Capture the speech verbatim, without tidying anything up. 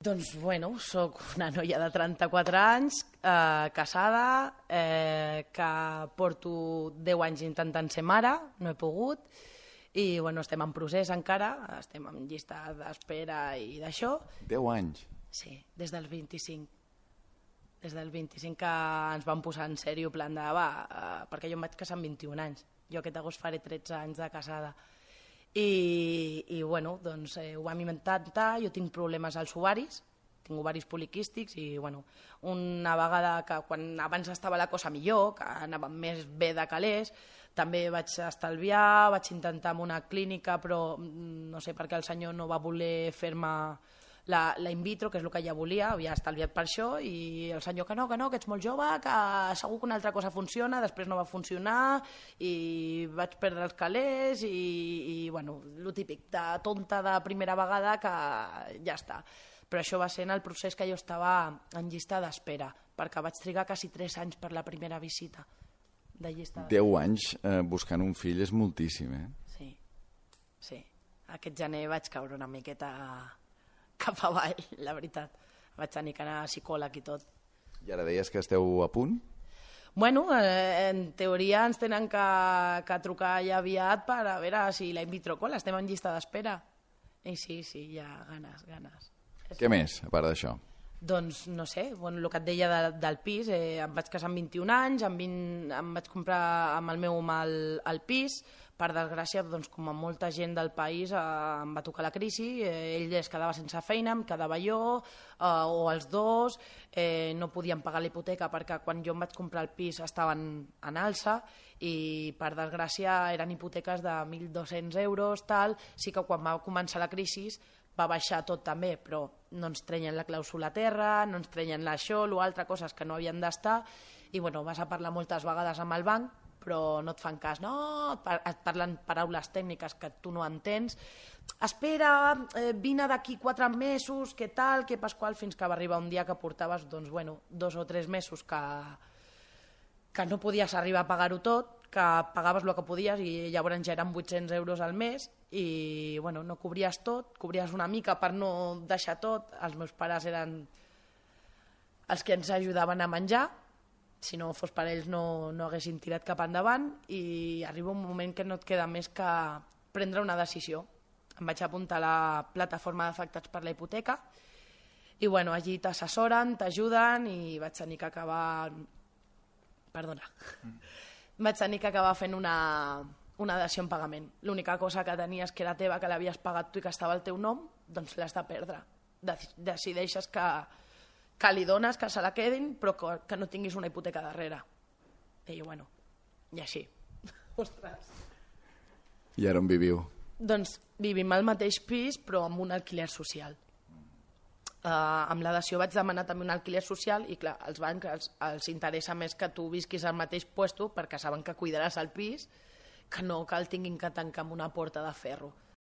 Doncs, bueno, soc una noia de trenta-quatre anys, eh, casada, eh, que porto deu anys intentant ser mare, no he pogut, i bueno, estem en procés encara, estem en llista d'espera i d'això. Deu anys? Sí, des dels vint-i-cinc. Des del vint-i-cinc que ens vam posar en sèrio, plan de, va, eh, perquè jo em vaig casar amb vint-i-un anys, jo aquest agost faré tretze anys de casada. I, i bueno, doncs eh, ho vam intentar, jo tinc problemes als ovaris, tinc ovaris poliquístics i bueno, una vegada que quan abans estava la cosa millor, que anava més bé de calés, també vaig estalviar, vaig intentar amb una clínica, però no sé per què el senyor no va voler fer-me la, la in vitro, que és el que ja volia, havia estalviat per això, i el senyor que no, que no, que ets molt jove, que segur que una altra cosa funciona, després no va funcionar, i vaig perdre els calés, i, i bueno, el típic, de tonta de primera vegada, que ja està. Però això va ser en el procés que jo estava en llista d'espera, perquè vaig trigar quasi tres anys per la primera visita de llista d'espera. Deu anys eh, buscant un fill és moltíssim, eh? Sí, sí. Aquest gener vaig caure una miqueta cap avall, la veritat. Vaig tenir que anar a psicòleg i tot. I ara deies que esteu a punt? Bueno, eh, en teoria ens tenen que, que trucar ja aviat per a veure si la in vitro cola, estem en llista d'espera. I sí, sí, ja, ganes, ganes. Què més, a part d'això? Doncs, no sé, bueno, el que et deia de, del pis, eh, em vaig casar amb vint-i-un anys, amb vint, em vaig comprar amb el meu home el, el pis, per desgràcia, doncs, com a molta gent del país, eh, em va tocar la crisi, eh, ell es quedava sense feina, em quedava jo, eh, o els dos, eh, no podíem pagar la hipoteca perquè quan jo em vaig comprar el pis estaven en alça i, per desgràcia, eren hipoteques de mil dos-cents euros, tal, sí que quan va començar la crisi va baixar tot també, però no ens treien la clàusula a terra, no ens treien l'això, l'altre, coses que no havien d'estar, i bueno, vas a parlar moltes vegades amb el banc, però no et fan cas, no, et parlen paraules tècniques que tu no entens, espera, eh, vine d'aquí quatre mesos, què tal, què pasqual, fins que va arribar un dia que portaves, doncs, bueno, dos o tres mesos que, que no podies arribar a pagar-ho tot, que pagaves el que podies i llavors ja eren vuit-cents euros al mes i bueno, no cobries tot, cobries una mica per no deixar tot. Els meus pares eren els que ens ajudaven a menjar, si no fos per ells no, no haguessin tirat cap endavant, i arriba un moment que no et queda més que prendre una decisió. Em vaig apuntar a la plataforma d'afectats per la hipoteca i bueno, allí t'assessoren, t'ajuden i vaig tenir que acabar... Perdona. Mm. Vaig tenir que acabar fent una, una dació en pagament. L'única cosa que tenies que era teva, que l'havies pagat tu i que estava al teu nom, doncs l'has de perdre. Decideixes que, que li dones, que se la quedin, però que, que no tinguis una hipoteca darrere. I bueno, i així. Ostres. I ara on viviu? Doncs vivim al mateix pis, però amb un alquiler social. Uh, amb la dació vaig demanar també un alquiler social i clar, als bancs els, els interessa més que tu visquis al mateix puesto perquè saben que cuidaràs el pis que no que el tinguin que tancar amb una porta de ferro.